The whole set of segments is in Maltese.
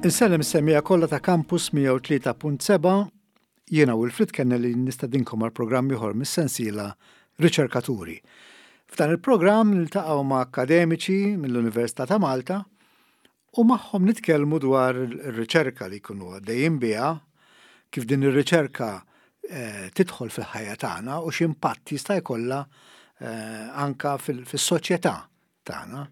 Insellem is-semmiegħa kollha ta' Campus 103.7, jiena Wilfrid Kennelly nistedinkom għal programm ieħor mis-sensiela Riċerkaturi. F'dan il-programm niltaqgħu ma' akkademiċi mill-Università ta' Malta u magħhom nitkellmu dwar ir-riċerka li jkunu għaddejjin biha, kif din ir-riċerka eh, tidħol fil-ħajja tagħna u x'impatt jista' jkollha eh, anka fis-soċjetà tagħna.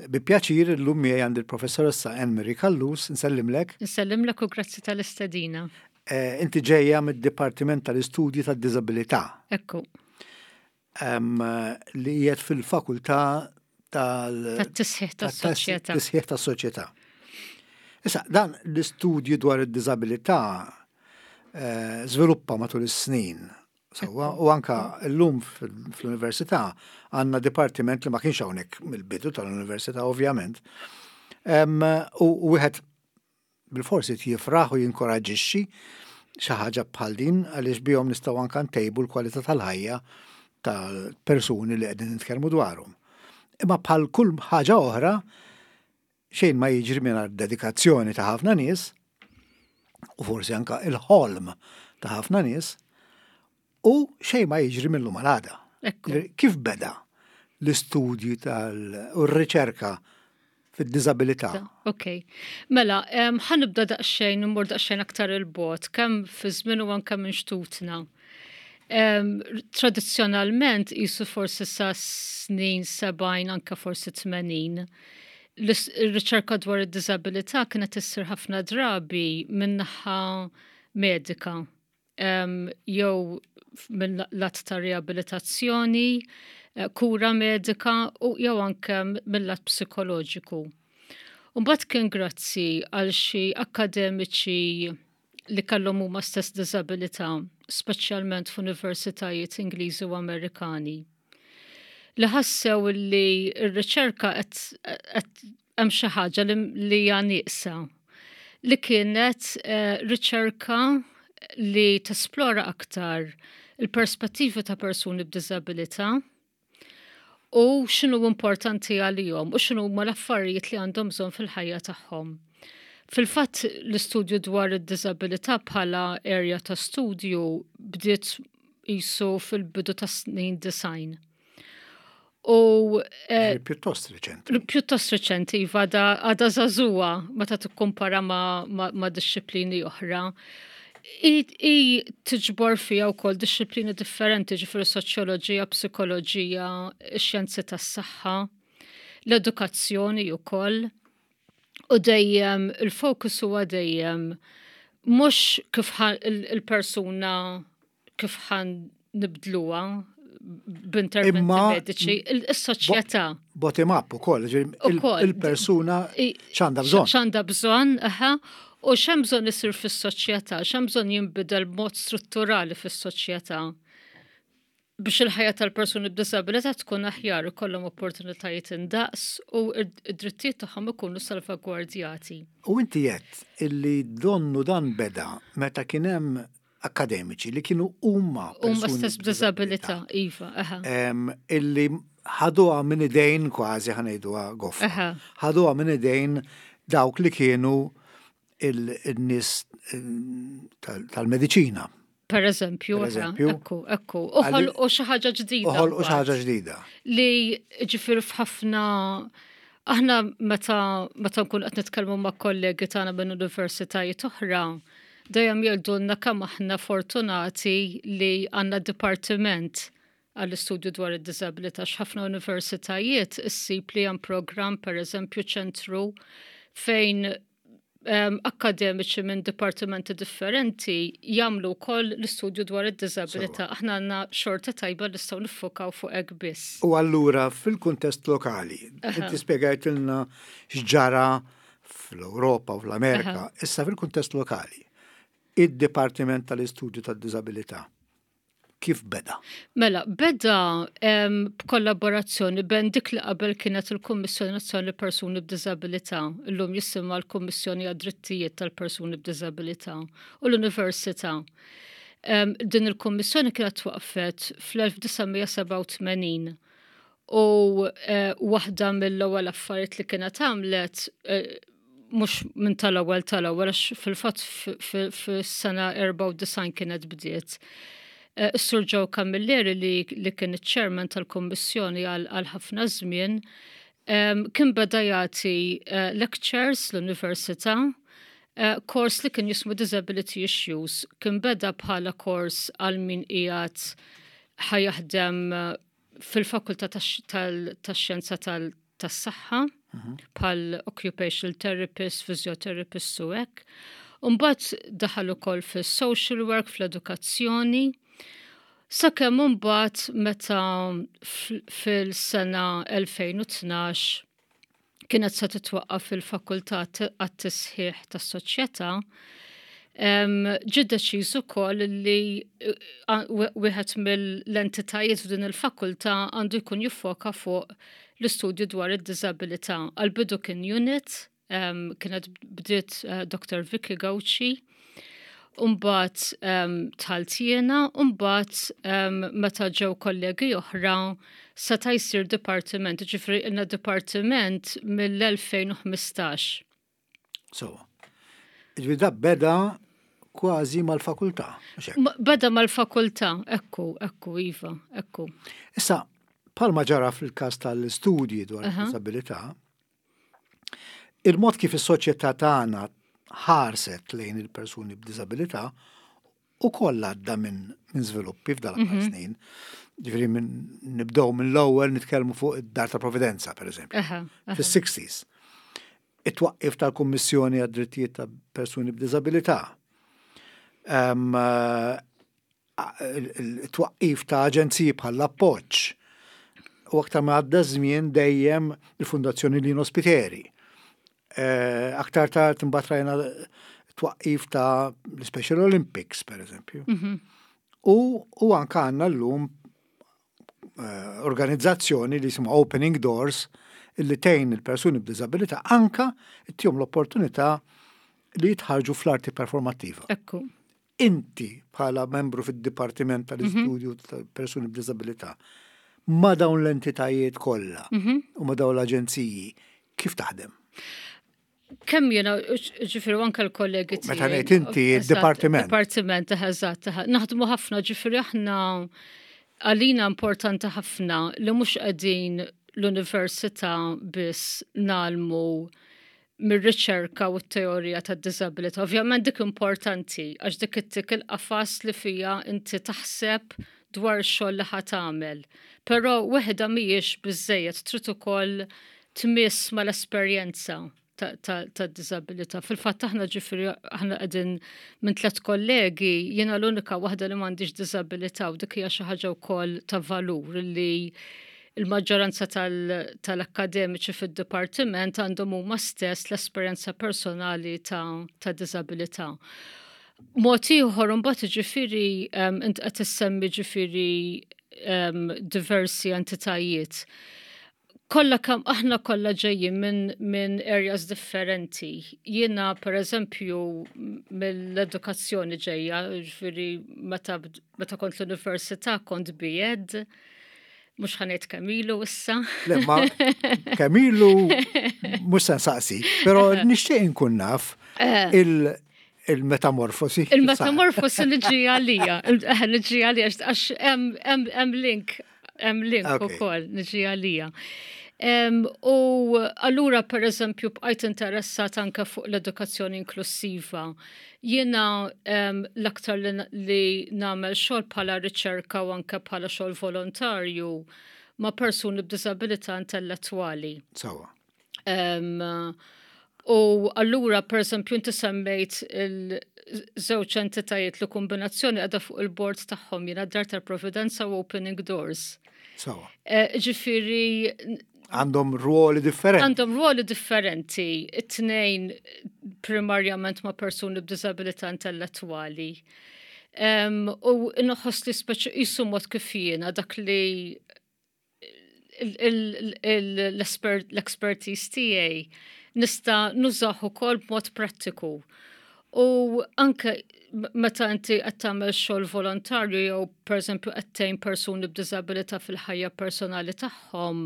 Bi pjaċir illum miegħi għandi l-professoressa Anne Marie Callus, nsellimlek. Nsellimlek u grazzi tal-istedina. Eh, inti ġejja mid-Dipartiment tal-Istudji tad-Diżabilità. Ekku. Li qiegħed fil-fakultà tal- Tat-tisħiħ tas-soċjetà. Tisħiħ tas-soċjetà. Issa, dan l-istudju dwar id-diżabilità eh, żviluppa matul is-snin. Sewwa, u anka llum fl-università għandna dipartiment li ma kienx hawnhekk mill-bidu tal-università ovvjament. U wieħed bilfors irid jifraħ u jinkoraġġixxi xi ħaġa bħal din għaliex bihom nistgħu anke ntejbu l-kwalità tal-ħajja tal-persuni li qegħdin nitkellmu dwarhom. Imma bħal kull ħaġa oħra, xejn ma jiġri mingħajr dedikazzjoni ta' ħafna nies u forsi anka il-ħolm ta' ħafna nies u xejn ma jiġri mill-lum għal għada. Kif beda l-istudju tal u r-riċerka fid-diżabilità? Ok. Mela, ħanibda daqsxejn, immur daqsxejn aktar il-bot, kemm fi żmien u anke minn xtutna. Tradizzjonalment qisu forsi sa snin 70 anke forsi 80 l-riċerka dwar id-diżabilità kienet issir ħafna drabi min-naħa medika jew minn lat ta' riabilitazzjoni, eh, kura medika u jew anke mill-lat psikoloġiku. Mbagħad kien grazzi għal xi akademiċi li kellhom huma stess diżabilità, speċjalment f'universitajiet Ingliżi u Amerikani, li ħassew li r-riċerka qed hemm xi ħaġa li hija nieqsa li kienet eh, riċerka li tesplora aktar il-perspettivi ta' persuni b'diżabilità u x'inhu importanti għalihom u x'inhu huma l-affarijiet li għandhom bżonn fil-ħajja tagħhom. Fil-fatt l-istudju dwar id-diżabilità bħala area ta' studju bdiet qisu fil-bidu ta' snin design. U eh, pjuttost reċenti. Pjuttost reċenti, iva, għada zazuwa meta tikkumpara ma', ma, ma disċiplini oħra. I, i tiġbor fija wkoll disċiplini differenti, ġifieri soċjoloġija, psikoloġija, xjenzi tas-saħħa, l-edukazzjoni wkoll. U dejjem il-fokus huwa dejjem mhux kif il-persuna kif ħan nibdluha b'interventi mediċi, is-soċjetà. Bottom up ukoll, il-persuna x'għandha bżonn. X'għandha bżonn, aha, u x'hemm bżonn isir fis-soċjetà, x'hemm bżonn jinbidel b'mod strutturali fis-soċjetà biex il-ħajja tal-persuni b'disabilità tkun aħjar, ikollhom opportunitajiet indaqs u id-drittijiet tagħhom ikunu salvagwardjati. U inti għedt illi donnu dan beda meta kien hemm akkademiċi li kienu huma huma stess b'diżabilità, iva, aha. Illi ħaduha minn idejn kważi ħanejduha goffa. Ħaduha minn idejn dawk li kienu il-nies tal-mediċina. Per eżempju, ekku, ekku. Uħol u xi ħaġa ġdida. Uħol u xi ħaġa ġdida. Li ġifier f'ħafna aħna meta meta nkun qed nitkellmu ma' kollegi tagħna minn universitajiet oħra, dejjem jgħidulna kemm aħna fortunati li għandna dipartiment għall-istudju dwar id-diżabilità x'ħafna universitajiet issib li hemm programm pereżempju ċentru fejn akkademiċi minn dipartimenti differenti jagħmlu wkoll l-istudju dwar id-diżabilità. Aħna għandna xorta tajba li nistgħu niffokaw fuq hekk biss. U allura fil-kuntest lokali, inti spjegajtilna x'ġara fl-Ewropa u fl-Amerika, issa fil-kuntest lokali, id-Dipartiment tal-Istudju tad-Diżabilità Kif beda? Mela, beda b'kollaborazzjoni bejn dik li qabel kienet il-Kummissjoni Nazzjonali Persuni b'Diżabilità, illum jisimha l-Kummissjoni għad-Drittijiet tal-Persuni b'Diżabilità, u l-Università. Din il-Kummissjoni kienet twaqfet fl-1987 u eh, waħda mill-ewwel affarijiet li kienet għamlet eh, mhux minn tal-ewwel tal-ewwel għax fil-fatt fis-sena 94 kienet bdiet. Eh, Is-Sur Joe Camilleri li, li kien iċ-chairman tal-Kummissjoni għal ħafna żmien kien beda jagħti eh, lectures l-università eh, kors li kien jismu Disability Issues. Kien beda bħala kors għal min qiegħed ħajaħdem fil-fakultà tax-xjenza tas-saħħa mhm. bħal occupational therapist, physiotherapist u hekk. Mbagħad daħal ukoll fis-social work, fl-edukazzjoni. Sakemm imbagħad meta fil-sena 2012 kienet se titwaqqaf il-Fakultà għat-Tisħiħ tas-Soċjetà, ġie deċiż ukoll li eh, wieħed mill-entitajiet f'din il-fakultà għandu jkun jiffoka fuq l-istudju dwar id-diżabilità. Għal-bidu kien unit, kienet bdiet eh, Dr. Vicky Gauci, Umbat tħalt jiena, umbat meta ġew kollegi oħra seta' jsir dipartiment, ġifri ilna dipartiment mill-2015. So, ġifri da beda kważi mal-fakultà. Beda mal-fakultà, ekku, ekku, Iva, ekku. Issa, palma ġara fil-kas tal-istudji dwar il-disabilità, Il-mod kif is-soċjetà tagħna ħarset lejn il-persuni b'diżabilità ukoll għadda minn min żviluppi f'dal aħħar mhm. snin. Ġifieri minn nibdew minn l-ewwel nitkellmu fuq id-Dar ta' Providenza, pereżempju, fis-60s. It-twaqqif tal-Kummissjoni għad-Drittijiet ta' Persuni b'Diżabilità. It-twaqqif ta' aġenziji bħal l-Appoġġ u aktar ma għadda żmien dejjem il-Fundazzjoni Lino Spiteri. Eh, aktar tard imbagħad rajna twaqqif ta' l-Special Olympics, per eżempju. Mhm. U, u anka għandna llum eh, organizzazzjoni li jisimha Opening Doors illi tgħin il-persuni b'diżabilità anka ttihom l-opportunità li jitħarġu fl-arti performattiva. Ekku. Inti bħala membru fid-Dipartiment tal-Istudju mhm. tal-Persuni b'Diżabilità ma' dawn l-entitajiet kollha mhm. u ma' dawn l-aġenziji kif taħdem? Kemm jiena, ġifieri anke l-kollegi tiegħi. Meta ngħid inti d-dipartiment. Dipartiment, eżatt, naħdmu ħafna, ġifieri aħna għalina importanti ħafna li mhux qegħdin l-università biss nalmu mir-riċerka u t-teorija tad-diżabilità. Ovvjament dik importanti għax dik ittik il-qafas li fija inti taħseb dwar ix-xogħol li ħa tagħmel. Però weħda mhijiex biżejjed trid ukoll tmiss mal-esperjenza tad-diżabilità. Fil-fatt aħna ġifieri aħna qegħdin minn tliet kollegi, jiena l-unika waħda li m'għandix diżabilità u dik hija xi ħaġa wkoll ta' valur li il-maġġoranza tal-akkademiċi fid-dipartiment għandhom huma stess l-esperjenza personali ta', ta diżabilità. Mod ieħor imbagħad ġifieri int qed issemmi ġifieri diversi entitajiet. Kollha kemm aħna kollha ġejjin minn min areas differenti. Jiena pereżempju mill-edukazzjoni ġejja, ġifieri meta, meta kont l-università kont B.Ed, Mux ħanejt kemilu issa. Le, ma kemilu mux san saqsi, pero nishtiq inkun naf eh. il-metamorfosi. Il-metamorfosi niġi għalija, eh, niġi għalija, għax hemm link, hemm link ukoll niġi għalija. U allura per eżempju bqajt interessat anke fuq l-edukazzjoni inklusiva. Jiena l-aktar li nagħmel xogħol bħala riċerka u anke bħala xogħol volontarju ma' persuni b'diżabilità intellettwali. Sawa. U allura, per eżempju, inti semmejt il-żewġ entitajiet li kombinazzjoni għadha fuq il-bord tagħhom jiena Dar tal-Providenza u Opening Doors. Sawa. Eh, ġifieri Għandhom ruoli differenti. Għandhom ruoli differenti, it-tnejn primarjament ma' persuni b'diżabilità intellettwali. U nħoss li speċi jisu mod kif jiena dak li l-expertise tiegħi nista' nużah ukoll b'mod prattiku. U anke meta inti qed tagħmel xogħol volontarju jew pereżempju qed tgħin persuni b'diżabilità fil-ħajja personali tagħhom,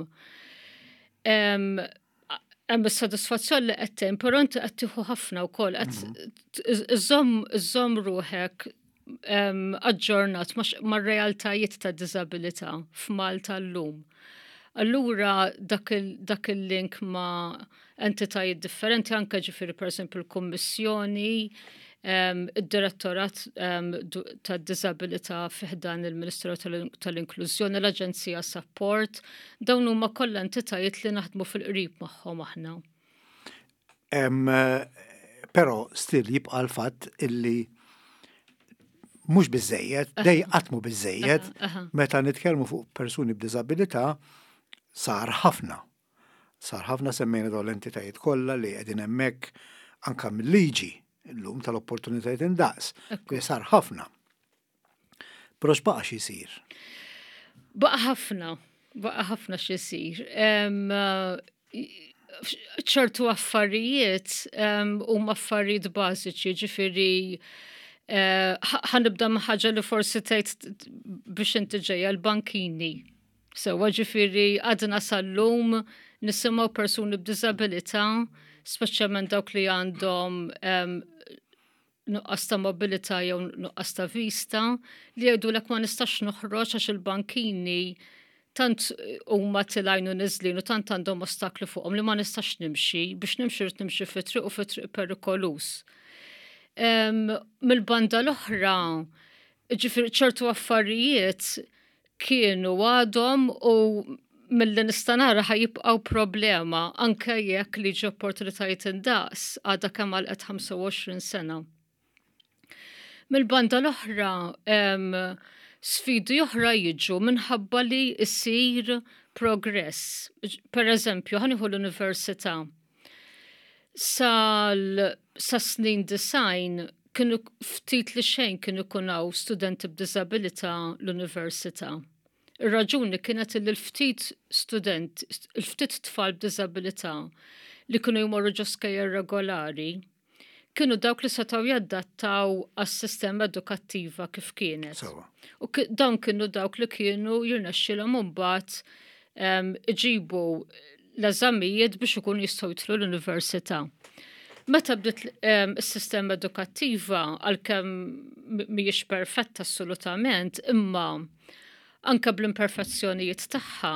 Hemm is-sodisfazzjon li qed tgħin, però inti qed tieħu ħafna wkoll qed mhm. iżżomm ruħek aġġornat mar-realtajiet ta' diżabilità f'Malta llum. Allura dak il-link ma' entitajiet differenti anke ġifieri pereżempju l-Kummissjoni, id-Direttorat tad-Diżabilità fi ħdan il-Ministeru tal-Inklużjoni, l-Aġenzija Sapport, dawn huma kollha entitajiet li naħdmu fil-qrib magħhom aħna. Però still jibqa' l-fatt illi mhux biżejjed, dej qatt mhu biżejjed, meta nitkellmu fuq persuni b'diżabilità sar ħafna. Sar ħafna semmejna dawn l-entitajiet kollha li qegħdin hemmhekk anke mill-liġi llum tal-opportunitajiet indaqs. Li sar ħafna. Però x'baqa' xi jsir? Baqa' ħafna, baqa' ħafna xi jsir. ċertu affarijiet huma affarijiet bażiċi, ġifieri eh, ħanibda ma' ħaġa li forsi tgħid biex inti ġejja l-bankini. Sewwa ġifieri għadna sal-lum nisimgħu persuni b'diżabilità, speċjalment dawk li għandhom nuqqas ta' mobilità jew nuqqas ta' vista, li jgħidulek ma nistax noħroġ għax il-bankini tant huma tilgħin u niżlin u tant għandhom ostakli fuqhom li ma nistax nimxi, biex nimxi rrid nimxi fi triq u fi triq perikoluż. Mill-banda l-oħra, ġifieri ċertu affarijiet kienu għadhom u milli nista' nara ħa jibqgħu problema anke jekk liġi opportunitajiet indaqs għadha kemm għalqet 25 sena. Mill-banda l-oħra, sfidi oħra jiġu minħabba li jsir progress. Per eżempju, ħa nieħu l-università. Sal sa snin design kienu ftit li xejn kienu ikun hawn studenti b'diżabilità l-università. Ir-raġuni kienet li l-ftit student, il-ftit tfal b'diżabilità li kienu jmorru ġo skejjel regolari, kienu dawk li setgħu jadattaw għas-sistema edukattiva kif kienet. U dawn kienu dawk li kienu jirnexxilhom imbagħad iġibu l-eżamijiet biex ikunu jistgħu jidħlu l-università. Meta bdiet is-sistema edukattiva għalkemm mhijiex perfetta assolutament, imma anke bl-imperfezzjonijiet tagħha,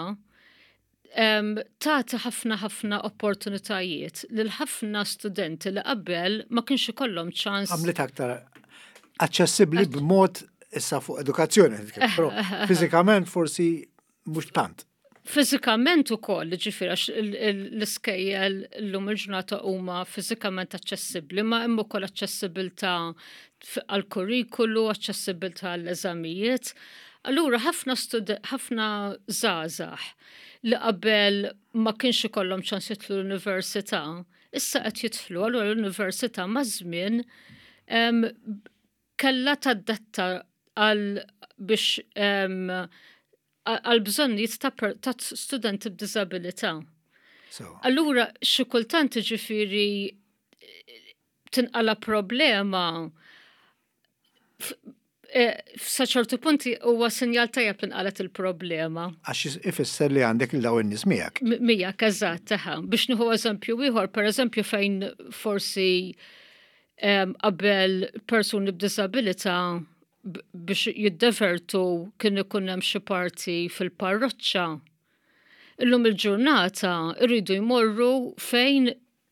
tagħti ħafna ħafna opportunitajiet lil ħafna studenti li qabel ma kienx ikollhom ċans. Għamlet aktar aċċessibbli b'mod issa fuq edukazzjoni, però fiżikament forsi mhux tant. Fiżikament ukoll, ġifieri għax l-iskejjel llum il-ġurnata huma fiżikament aċċessibbli, ma hemm ukoll aċċessibilità għall-kurrikulu, aċċessibilità għall-eżamijiet. Allura ħafna ħafna żgħażagħ li qabel ma kienx ikollhom ċans jidħlu l-università, issa qed jidħlu, allura l-università maż-żmien kellha tadatta għal biex għal bżonnijiet ta' studenti b'diżabilità. Allura xi kultant ġifieri tinqala problema eh, sa ċertu punti huwa sinjal tajjeb li nqalet il-problema. Għax ifisser li għandek il daw in-nies miegħek. Miegħek eżatt, eħe. Biex nieħu eżempju ieħor, pereżempju fejn forsi qabel persuni b'diżabilità biex jiddevertu kien ikun hemm xi parti fil-parroċċa. Illum il-ġurnata rridu jmorru fejn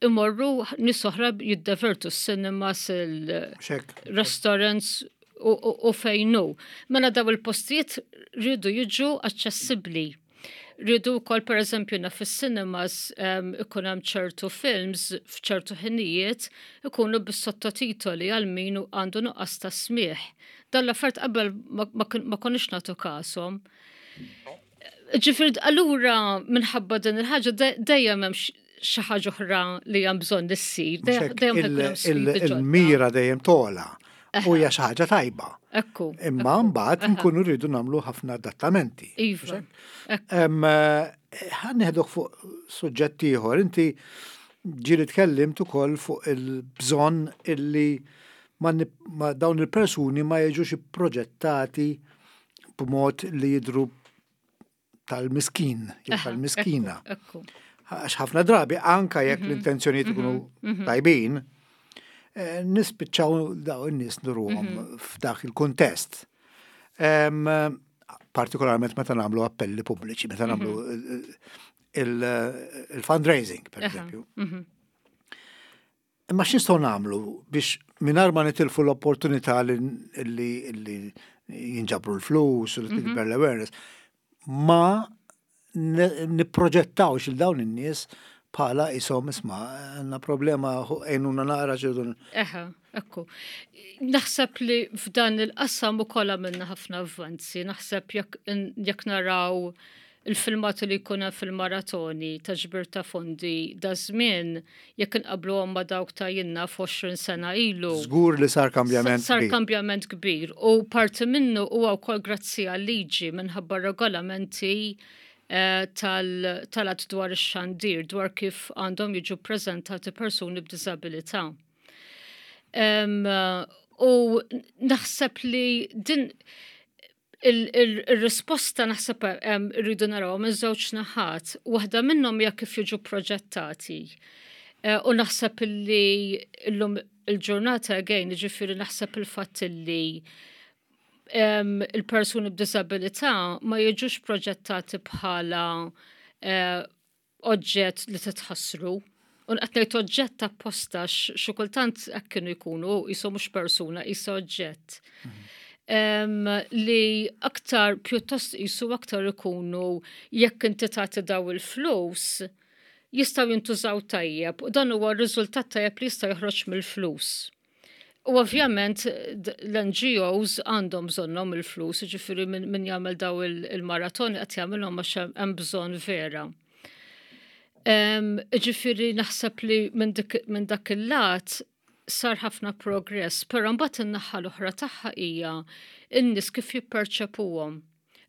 imorru nies oħra jiddevertu s-cinemas, il-restaurants u fejn hu. Mela daw il-postijiet rridu jiġu aċċessibbli. Rridu wkoll pereżempju naf fis-cinemas ikun hemm ċertu films f'ċertu ħinijiet ikunu bis-sottotitoli għal min għandu nuqqas ta' smigħ. Dan l-affarijiet qabel ma konniex nagħtu kashom. Ġifieri allura minħabba din il-ħaġa dejjem hemm xi ħaġa oħra li hemm bżonn issir. Il-mira dejjem tola u hija xi ħaġa tajba. Ekku. Imma mbagħad nkunu rridu nagħmlu ħafna adattamenti. Iva. Ħa nieħduk fuq suġġett ieħor. Inti ġieli tkellimt ukoll fuq il-bżonn illi ma dawn il-persuni ma jiġux ipproġettati b'mod li jidru tal-miskin, jew tal-miskina. Għax ħafna drabi anka jekk l-intenzjonijiet ikunu tajbin, nispiċċaw daw in-nies nuruhom f'dak il-kuntest. Partikolarment meta nagħmlu appelli pubbliċi, meta nagħmlu il-fundraising, per eżempju. Imma x'nistgħu nagħmlu biex mingħajr ma nitilfu l-opportunità li jinġabru l-flus u li tikber l-awareness, ma nipproġettawx il dawn in-nies bħala isom isma' għandna problema għejnuna naqra ġidu. Eħe, ekku. Naħseb li f'dan il-qasam ukoll għamilna ħafna avvanzi, naħseb jekk naraw il-filmati li jkun hemm fil-maratoni ta' ġbir ta' fondi da żmien jekk inqabbluhom ma' dawk ta' jinnna f'20 sena ilu. Żgur li sar kambjament Sar kambjament kbir u parti minnu huwa wkoll grazzi għal-liġi minħabba regolamenti eh, tal-att dwar ix-xandir dwar kif għandhom jiġu ppreżentati persuni b'diżabilità. U naħseb li din Il-risposta naħseb irridu naraw minn żewġ naħat. Waħda minnhom hija kif jiġu proġettati. Eh, u naħseb li llum il-ġurnata again, ġifieri naħseb il-fatt li il-persuni b'disabilità ma jiġux proġettati bħala eh, oġġett li titħassru. U qed ngħid oġġett apposta xi kultant hekk kienu jkunu qisu mhux persuna, qisu oġġett. Mm. Li aktar pjuttost qisu aktar ikunu jekk inti tagħti daw il-flus jistgħu jintużaw tajjeb u dan huwa r-riżultat tajjeb li jista' joħroġ mill-flus. U ovvjament l-NGOs għandhom bżonnhom il-flus, ġifieri min jagħmel daw il-maratoni qed jagħmilhom għax hemm bżonn vera. Ġifieri naħseb li minn dak il-lat sar ħafna progress, però mbagħad in-naħa l-oħra tagħha hija n-nies kif jipperċepuhom.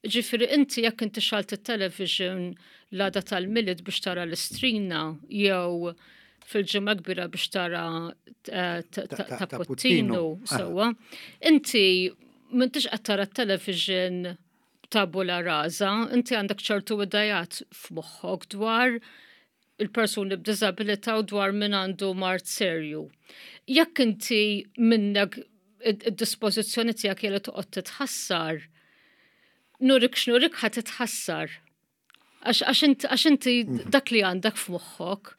Ġifieri inti jekk inti xalt it-television l-għada tal-Milied biex tara l-Istrina jew fil-Ġimgħa Kbira biex tara eh, ta' Puttinu sewwa, inti m'intix qed tara t-television tabula rasa, inti għandek ċertu idejat f'moħħok dwar il-persuni b'diżabilità u dwar min għandu mard serju. Jekk inti minnek id-dispożizzjoni tiegħek li toqgħod titħassar, nurik x'nurik ħa titħassar. Għax inti mhm. dak li għandek f'moħħok.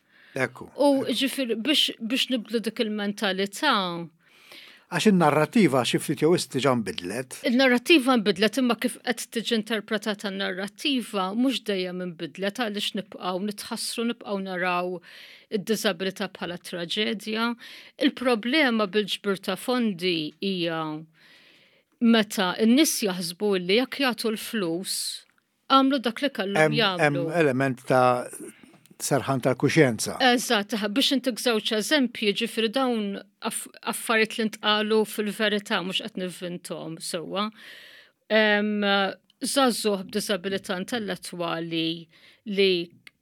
Ekku. U ġifir biex nibdlu dik il-mentalità, Għax in-narrattiva xi ftit jew wisq diġà nbidlet. Il-narrattiva nbidlet imma kif qed tiġi interpretata n-narrattiva mhux dejjem inbidlet għaliex nibqgħu nitħassru nibqgħu naraw id-diżabilità bħala traġedja. Il-problema bil-ġbir ta' fondi hija meta n-nies jaħsbu li jekk jagħtu l-flus għamlu dak li kellhom jagħmlu. Hemm element ta' serħan tal-kuxjenza. Eżatt, biex intik żewġ eżempji, ġifieri dawn affarijiet li ntqalu fil-verità mhux qed nivvinthom sewwa. Żagħżugħ b'diżabilità intellettwali li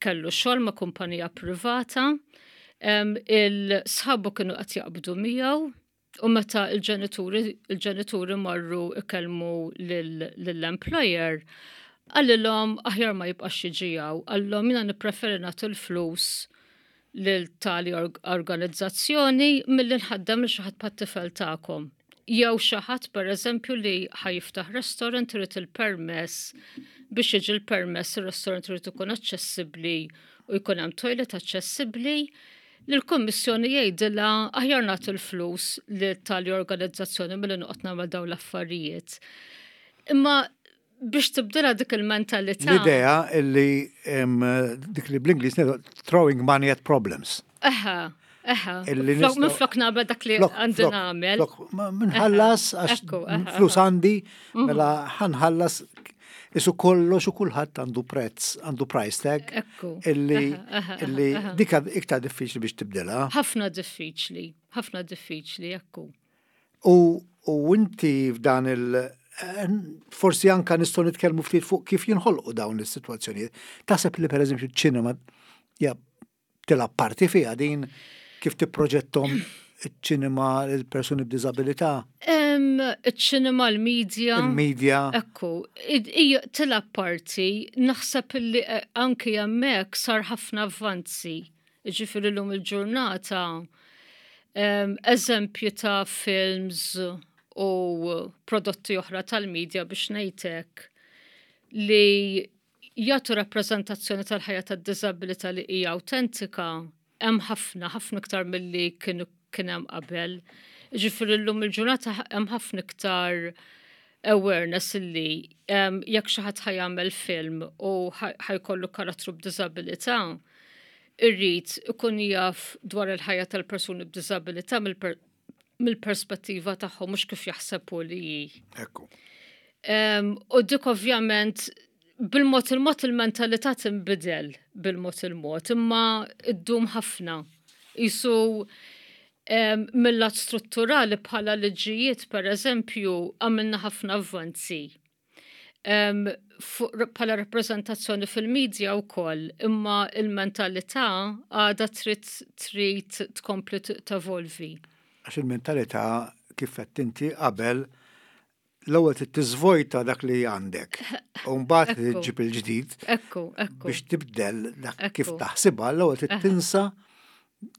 kellu xogħol ma' kumpanija privata, il-sħabu kienu qed jaqbdu miegħu, U meta il-ġenituri il-ġenituri marru ikellmu lill-employer, qalilhom aħjar ma jibqax jiġi hawn, qalilhom jiena nippreferi nagħti l-flus lil tali organizzazzjoni milli nħaddem lil xi ħadd bħat-tifel tagħkom. Jew xi ħadd pereżempju li ħa jiftaħ restaurant irid il-permess biex jiġi l-permess ir-restaurant irid ikun aċċessibbli u jkun hemm toilet aċċessibbli li l-Kummissjoni jgħidilha aħjar nagħtu l-flus li tali organizzazzjoni milli noqgħod nagħmel dawn l-affarijiet. Imma biex tibdilha dik il-mentalità. L-idea illi dik li bl-Ingliż throwing money at problems. Eħe, eħe. Minflok nagħmel dak li għandi nagħmel. Minħallas għax flus għandi, mhm. mela ħanħallas Isu kollox u kulħadd għandu prezz, għandu price tag. Illi illi dik iktar diffiċli biex tibdilha. Ħafna diffiċli, ħafna diffiċli, ekku. U u inti f'dan il eh, forsi anka nistgħu nitkellmu ftit fuq kif jinħolqu dawn is-sitwazzjonijiet. Taħseb li pereżempju ċ-ċinema ja tilgħab parti fiha din kif tipproġettom iċ-ċinema l-persuni b'diżabilità? Iċ-ċinema, l-medja. Il-medja. Ekku, hija tilgħab parti, naħseb li eh, anki hemmhekk sar ħafna avvanzi. Ġifieri llum il-ġurnata eżempju ta' films u prodotti oħra tal-medja biex ngħidlek li jagħtu rappreżentazzjoni tal-ħajja tad-diżabilità li hija awtentika hemm ħafna, ħafna iktar milli kienu kien hemm qabel. Ġifieri llum il-ġurnata hemm ħafna iktar awareness illi jekk xi ħadd ħa jagħmel film u ħa jkollu karattru b'diżabilità, irrid ikun jaf dwar il-ħajja tal-persuni b'diżabilità mill-perspettiva tagħhom mhux kif jaħseb hu li hi. Ekku. U dik ovvjament bil-mod il-mod il-mentalità tinbidel bil-mod il-mod, imma ddum ħafna. Isu mill-lat strutturali bħala liġijiet, per eżempju, għamilna ħafna avvanzi. Bħala rappreżentazzjoni fil-medja wkoll, imma il-mentalità għadha trid trid tkompli tevolvi. Għax il-mentalità kif qed inti qabel l-ewwel trid tiżvojta dak li għandek. U mbagħad trid ġġib il-ġdid. Ekku, ekku. Biex tibdel dak kif taħsibha, l-ewwel trid tinsa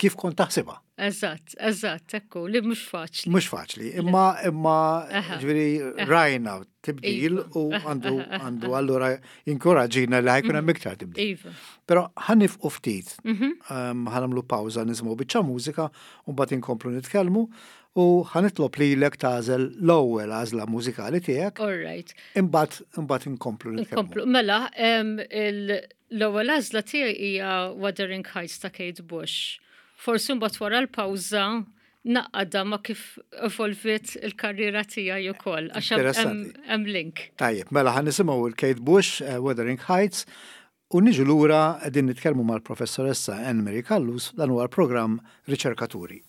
kif kont taħsibha. Eżatt, eżatt, ekku, li mhux faċli. Mhux faċli, imma imma ġifieri rajna tibdil iva. u għandu għandu allura jinkoraġina li ħa jkun hemm iktar tibdil. Iva. Però ħa nieqfu ftit, mhm. ħa nagħmlu pawża nisimgħu biċċa mużika u mbagħad inkomplu nitkellmu u ħa nitlob lilek tagħżel l-ewwel għażla mużikali tiegħek. All right. Imbagħad imbagħad inkomplu nitkellmu. Inkomplu. Mela, l-ewwel għażla tiegħi hija Wuthering Heights ta' Kate Bush. Forsi mbagħad wara l-pawża naqada ma kif evolvit il-karriera tiegħi ukoll għax hemm link. Tajjeb, mela ħa nisimgħu il-Kate Bush, Wuthering Heights, u niġu lura qegħdin nitkellmu mal-professoressa Anne Marie Callus dan huwa l-programm Riċerkaturi.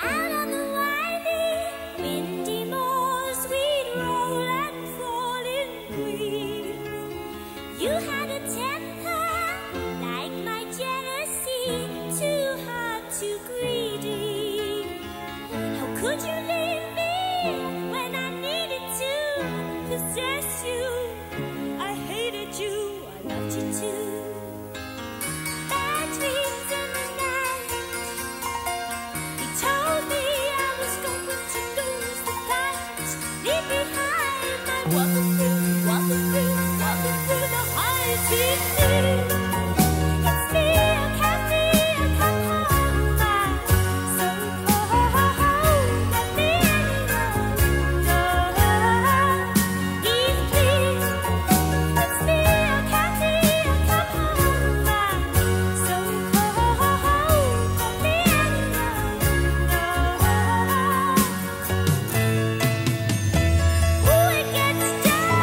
Out on the winding, windy moors, we'd roll and fall in glee. You had a temper like my jealousy, too hot, too greedy. How could you leave me when I needed to possess you? I hated you, I loved you too. Bad dreams in the night. He told me I was going to lose the fight. Leave behind my walking through, walking through, walking through the high sea. It's me, I can't be, I come home. I'm so cold, let me any longer. He's pleased. It's me, I can't be, I come home. I'm so cold, let me any longer. Oh, it gets dark.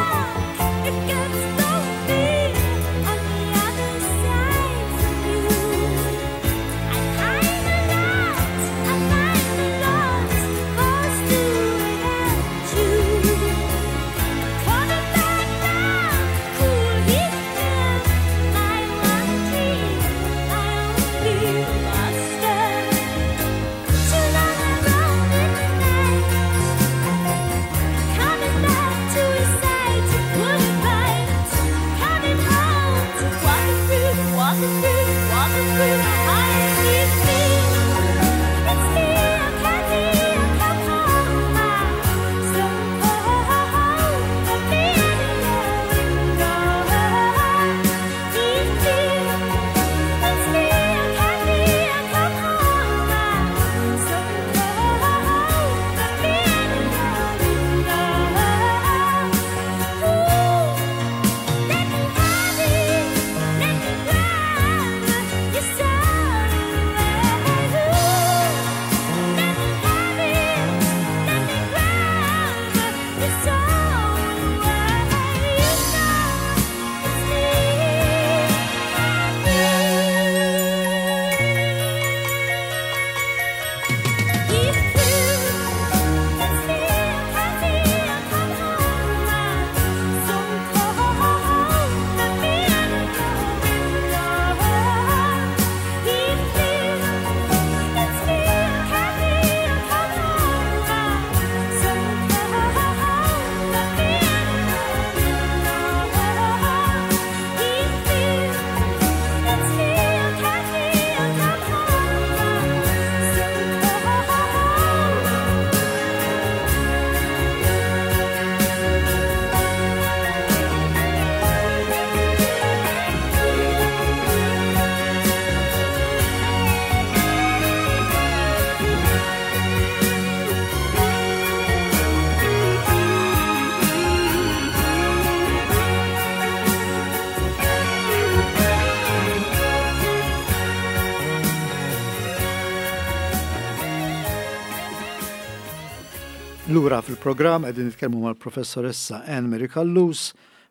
Lura fil-programm qegħdin nitkellmu mal-professoressa Anne Mary Callus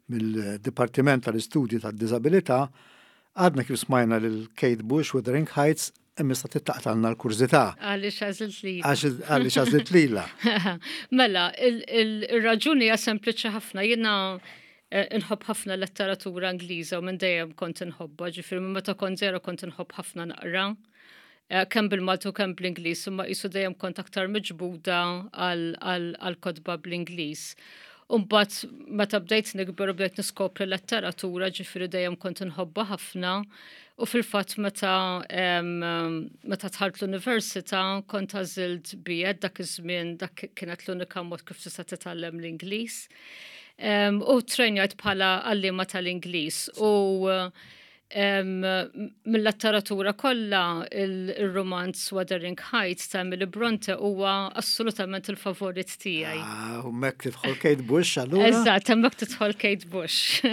mill-Dipartiment tal-Istudji tad-Diżabilità. Għadna kif smajna lil Kate Bush Wuthering Heights imma issa tittaqtalna l-kurżità. Għaliex għażilt lilha. Għaliex għażilt lilha. Mela, il-raġuni hija sempliċi ħafna. Jiena eh, nħobb ħafna letteratura Ingliża u minn dejjem kont inħobbha, ġifieri minn meta kont żgħira kont inħobb ħafna naqra. Eh, kemm bil-Malti u kemm bl-Ingliż, imma qisu dejjem kont aktar miġbuda għal kotba bl-Ingliż. Umbat meta bdejt nikber u bdejt niskopri letteratura, ġifieri dejjem kont inħobbha ħafna. U fil-fatt meta meta dħalt l-università kont għażilt B.Ed dak iż-żmien dak kienet l-unika mod kif tista' titgħallem l-Ingliż. U trenjajt bħala għalliema tal-Ingliż. U Mill-letteratura kollha il-romanz Wuthering Heights ta' Emily Bronte huwa assolutament il-favorit tiegħi. Ah, u hemmhekk tidħol Kate Bush allura. Eżatt, hemmhekk tidħol Kate Bush.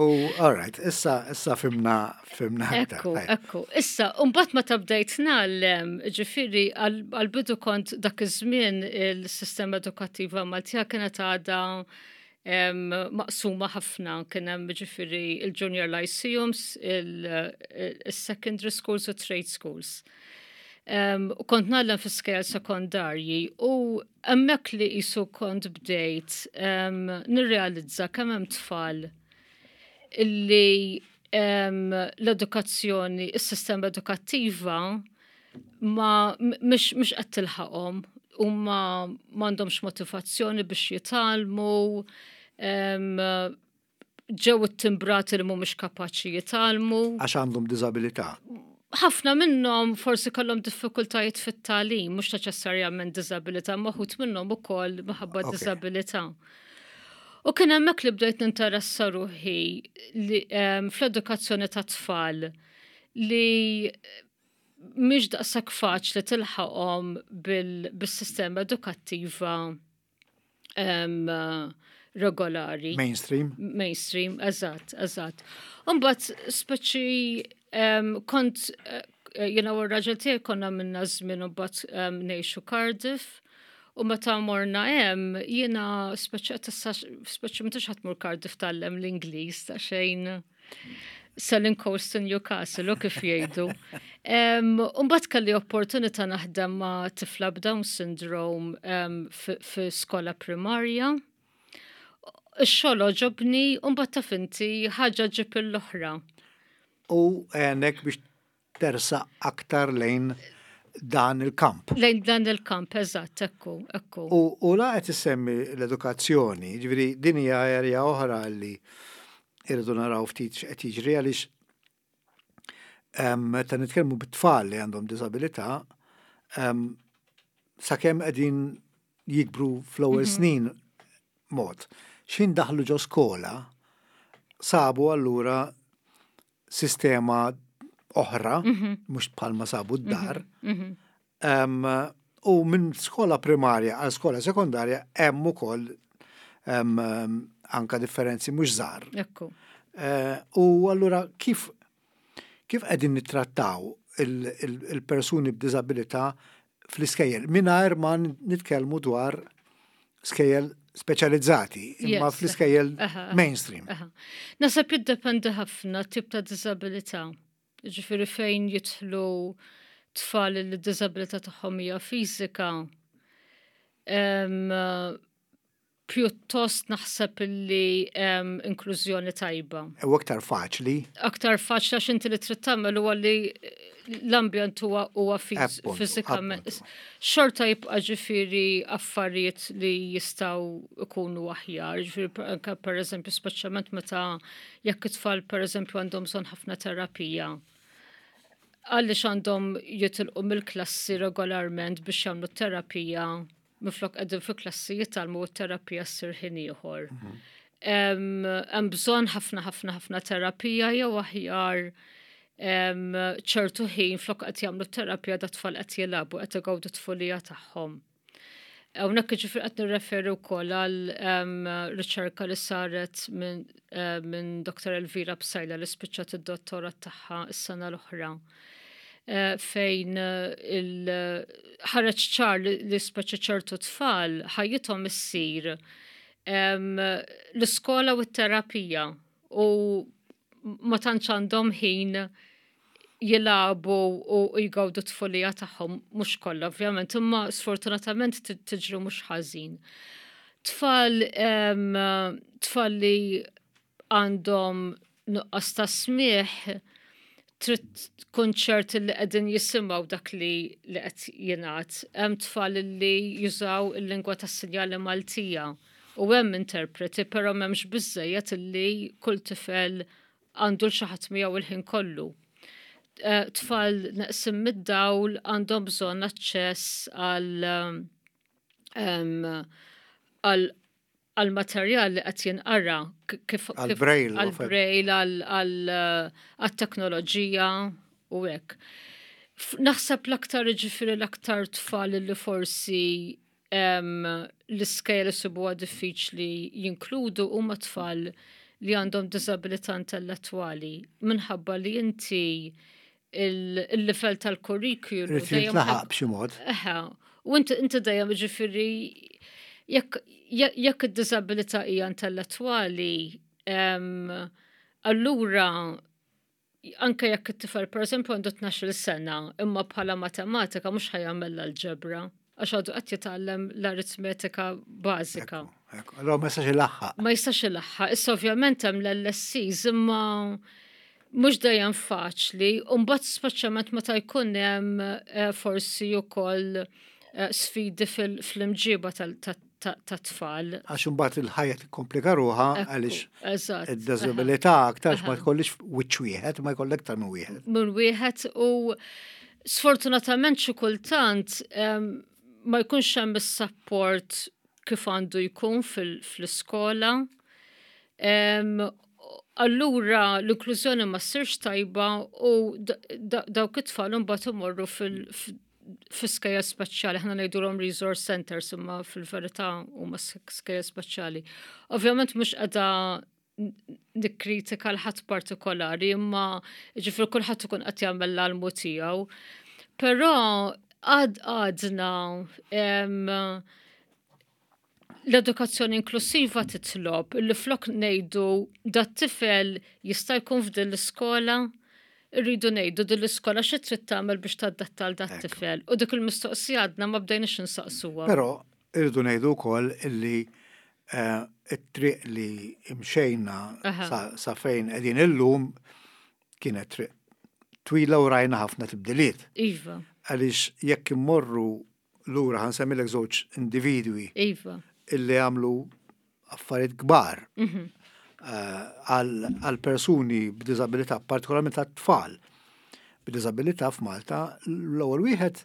U all right, issa issa fimna fimna. Ekku, ekku. Issa, mbagħad meta bdejt ngħallem, ġifieri għall-bidu kont dak iż-żmien il-sistema edukattiva Maltija kienet għadha maqsuma ħafna kien hemm ġifieri il-junior lyceums, il-secondary schools u trade schools. U kont ngħallem fi skejjel sekondarji u hemmhekk li qisu kont bdejt nirrealizza kemm hemm tfal illi l-edukazzjoni, is-sistema edukattiva ma mhix qed tilħaqhom huma m'għandhomx motivazzjoni biex jitgħallmu, ġew ittimbrati li mhumiex kapaċi jitgħallmu. Għax għandhom diżabilità. Ħafna minnhom forsi kellhom diffikultajiet fit-tagħlim, mhux neċessarjament diżabilità, ma wħud minnhom ukoll minħabba diżabilità. U kien hemmhekk li bdejt ninteressa ruħi fl-edukazzjoni ta' tfal li mhix daqshekk faċli tilħaqhom bis-sistema edukattiva regolari. Mainstream. Mainstream, eżatt, eżatt. Imbagħad speċi kont eh, jiena u r-raġel tiegħi konna minna żmien u mbagħad ngħixu Cardiff. U meta morna hemm, jiena speċi speċi m'intix ħadd mur Cardiff tgħallem l-Ingliż ta' xejn. Selling Coast to Newcastle, u kif jgħidu. Umbat kelli opportunità naħdem ma' tifla b'Down syndrome fi skola primarja. Ix-xogħol għoġobni, umbat taf inti ħaġa ġib l-oħra. U għenek biex tersaq aktar lejn dan il-kamp. Lejn dan il-kamp, eżatt, ekku, ekku. U la qed issemmi l-edukazzjoni, ġifieri din hija erja oħra li irridu naraw ftit x'qed jiġri għaliex meta nitkellmu bit-tfal li għandhom diżabilità, sakemm qegħdin jikbru fl-ewwel mhm. snin mod. X'ħin daħlu ġo skola, sabu allura sistema oħra, mhm. mhux bħalma sabu d-dar. Mhm, mhm. U minn skola primarja għal skola sekondarja hemm ukoll anka differenzi mhux żgħar. Ekku. Eh, u allura kif kif qegħdin nittrattaw il-persuni b'diżabilità fl-iskejjel mingħajr ma nitkellmu dwar skejjel speċjalizzati, imma fl-iskejjel mainstream. Nasab jiddependi ħafna tip ta' diżabilità. Ġifieri fejn jidħlu tfal li d-diżabilità tagħhom hija fiżika, pjuttost naħseb illi hemm inklużjoni tajba. U aktar faċli. Aktar faċli għax inti li trid tagħmel huwa li l-ambjent huwa huwa fiżikament. Xorta jibqa' ġifieri affarijiet li jistgħu jkunu aħjar, ġifieri anke pereżempju speċjalment meta jekk it-tfal pereżempju għandhom bżonn ħafna terapija għaliex għandhom jitilqu mill-klassi regolarment biex jagħmlu terapija minflok qegħdin fi klassi jitgħallmu u t-terapija ssir ħin ieħor. Mhm. Hemm bżonn ħafna ħafna ħafna terapija jew aħjar ċertu ħin flok qed jagħmlu terapija da tfal qed jilagħbu qed igawdu tfulija tagħhom. Hawnhekk jiġifieri qed nirreferi wkoll għal riċerka li saret minn eh, min Dr. Elvira Psaila li spiċċat id-dottorat tagħha s-sena l-oħra. fejn il-ħareġ ċar li speċi ċertu tfal ħajjithom issir l-iskola u t-terapija u ma tantx għandhom ħin jilagħbu u jgawdu t-tfulija tagħhom, mhux kollha ovvjament, imma sfortunatament tiġri mhux ħażin. Tfal tfal li għandhom nuqqas ta' smigħ trid tkun ċert li qegħdin jisimgħu dak li li qed jingħad. Hemm tfal li jużaw il-lingwa tas-sinjali Maltija u hemm interpreti, però m'hemmx biżżejjed illi kull tifel għandu l xi ħadd miegħu il-ħin kollu. Eh, tfal neqsim mid-dawl għandhom bżonn aċċess għal għal għal materjal li qed jinqara kif għal-braille, għal-braille, għal-teknoloġija u hekk. Naħseb l-aktar ġifieri l-aktar tfal li forsi l-iskejjel isibuha diffiċli jinkludu huma tfal li għandhom diżabilità intellettwali minħabba li inti il-level tal-kurrikulu. Irid jintlaħaq b'xi mod. Eħe, u inti inti dejjem ġifieri jekk jekk id-diżabilità hija intellettwali, allura anke jekk it-tifel pereżempju għandu 12-il sena, imma bħala matematika mhux ħa jagħmel l-alġebra għax għadu qed jitgħallem l-aritmetika bażika. Allora ma jistax ilaħħaq. Ma jistax ilaħħaq. Issa ovvjament hemm l-LSCs imma mhux dejjem faċli, u mbagħad speċjalment meta jkun hemm eh, forsi wkoll eh, sfidi fl-imġiba tat-tfal. Għax imbagħad il-ħajja tikkomplika ruħha għaliex id-diżabilità aktarx ma jkollix wiċċ wieħed, ma jkollek aktar minn wieħed. Minn wieħed u sfortunatament xi kultant ma jkunx hemm is-support kif għandu jkun fl-iskola. Allura l-inklużjoni ma ssirx tajba u dawk it-tfal imbagħad imorru fil-skejjel speċjali, aħna ngħidulhom resource centers imma fil-verità huma skejjel speċjali. Ovvjament mhux qiegħda nikkritika l-ħadd partikolari, imma ġifieri kulħadd ikun qed jagħmel l-almu tiegħu. Però għad għadna l-edukazzjoni inklusiva titlob li flok ngħidu dat-tifel jista' jkun f'din l-iskola, irridu ngħidu din l-iskola xi trid tagħmel biex tadatta għal dat-tifel. U dik il-mistoqsija għadna ma bdejniex insaqsuha. Però irridu ngħidu wkoll illi eh, it-triq li imxejna sa fejn qegħdin illum kienet triq twila u rajna ħafna tibdiliet. Iva. Għaliex jekk immorru lura ħa nsemmilek żewġ individwi. Iva. Illi għamlu affarijiet kbar mhm. eh, għal persuni b'diżabilità, partikolarment għat-tfal b'diżabilità f'Malta, l-ewwel wieħed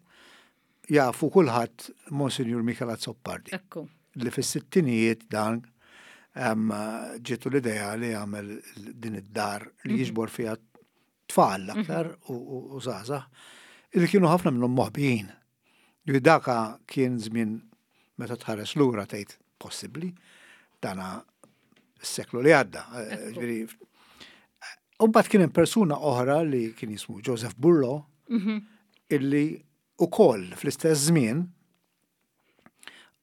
jafu kulħadd Monsinjur Michel Azzopardi. Ekku. Li fis-sittinijiet dan ġietu l-idea li jagħmel din id-dar li mhm. jiġbor fiha tfal mhm. aktar u żgħażagħ li kienu ħafna minnhom moħbijin. Li daka kien żmien meta tħares lura tgħid possibbli dana s-seklu li għadda. Eh, Umbagħad kien hemm persuna oħra li kien jismu Joseph Burlo mhm. illi ukoll fl-istess żmien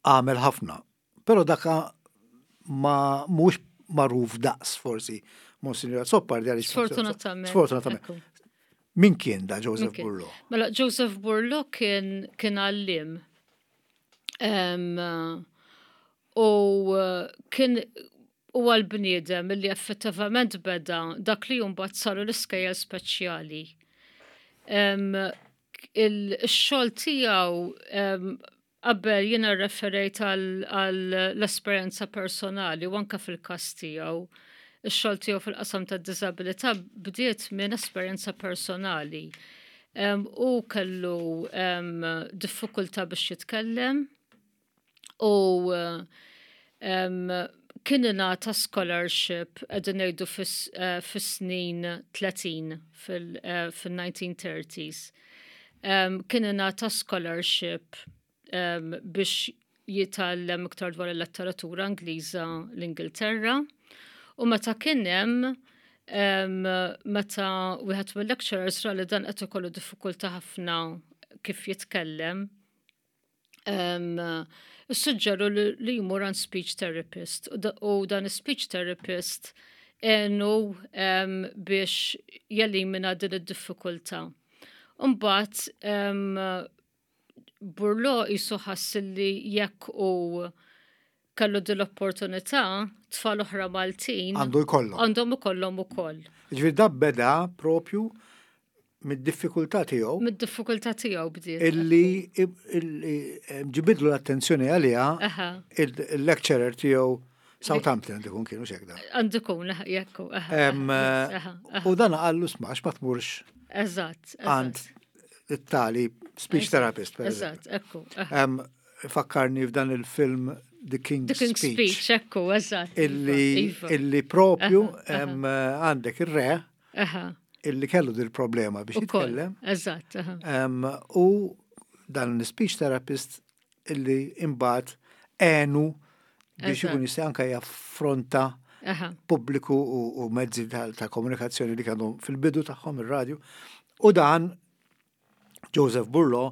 għamel ħafna. Però daka ma mhux magħruf daqs forsi Monsignor Azzopardi għaliex. Sfortunatament. Sfortunatament. Min kien da Joseph Burlo? Mela Joseph Burlo kien kien għallim. U kien huwa l-bniedem li effettivament beda dak li mbagħad saru l-iskejjel speċjali. Il-xogħol tiegħu qabel jiena rreferejt għall-esperjenza personali u anke fil-każ tiegħu. Ix-xogħol tiegħu fil-qasam tad-diżabilità bdiet minn esperjenza personali. Hu kellu diffikultà biex jitkellem u kien ingħata scholarship qegħdin ngħidu eh, fis-snin 30 fil-1930s. Eh, kien ingħata scholarship biex jitgħallem iktar dwar il-letteratura Ingliża l-Ingilterra u meta kien hemm. Meta wieħed mill-lecturers ra li dan qed ikollu diffikultà ħafna kif jitkellem, issuġġeru li jmur għand speech therapist u dan is-speech therapist għenu biex jelimina din id-diffikultà. Imbagħad Burlo qisu ħass li jekk hu kellu din l-opportunità, tfal oħra Maltin għandu jkollhom. Għandhom ikollhom ukoll. Ġifieri da beda propju mid-diffikultà tiegħu. Mid-diffikultà tiegħu bdiet. Illi eh, ġibidlu l-attenzjoni għaliha il-lecturer tiegħu Southampton għandu jkun kienu xekda. Għandu jkun, jekku. U dan għallu smax ma tmurx. Eżatt. Għand it-tali speech therapist. Eżatt, ekku. Fakkarni f'dan il-film The King's, The King's Speech. Speech, ekku, eżatt. Illi, iva. illi propju għandek ir-re illi kellu dil problema biex jitkellem. Eżatt. U dan l-speech therapist illi imbagħad għenu biex ikun jista' anke jaffronta pubbliku u mezzi ta' komunikazzjoni li kienu fil-bidu tagħhom ir-radju. U dan Joseph Burlo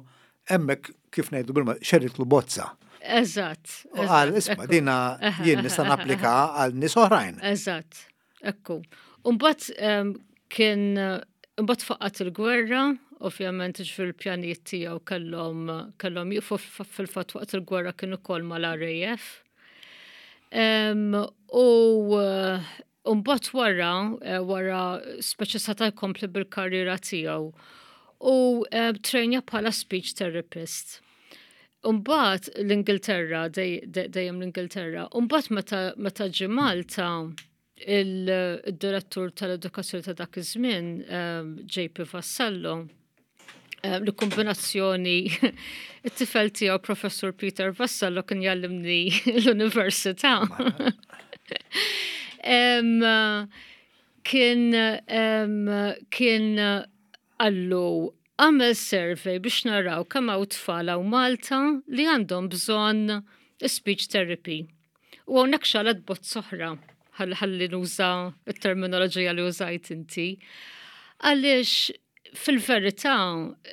hemmhekk kif ngħidu bil xeritlu bozza. Eżatt. U qal isma' dina jien nista' napplika għal nies oħrajn. Eżatt. Ekku. Umbagħad ehm, kien imbagħad faqqat il-gwerra, ovvjament ġifieri l-pjanijiet tiegħu kellhom kellhom jieqfu fil-fatt waqt il-gwerra kien ukoll mal-RAF. Ehm, u mbagħad wara, eh, wara speċi seta' jkompli bil-karriera tiegħu u eh, trejnja bħala speech therapist. Umbagħad l-Ingilterra, dejjem l-Ingilterra, umbagħad meta, meta ġie Malta, il-direttur tal-edukazzjoni ta' dak iż-żmien, ehm, JP Vassallo, ehm, li kombinazzjoni it-tifel tiegħu Professur Peter Vassallo kien jallimni l-università. Ehm, kien kien Qallu, Agħmel survey biex naraw kemm hawn tfal hawn Malta li għandhom bżonn speech therapy. U hawnhekk xalet bozz oħra, ħalli nuża t-terminoloġija li użajt inti. Għaliex fil-verità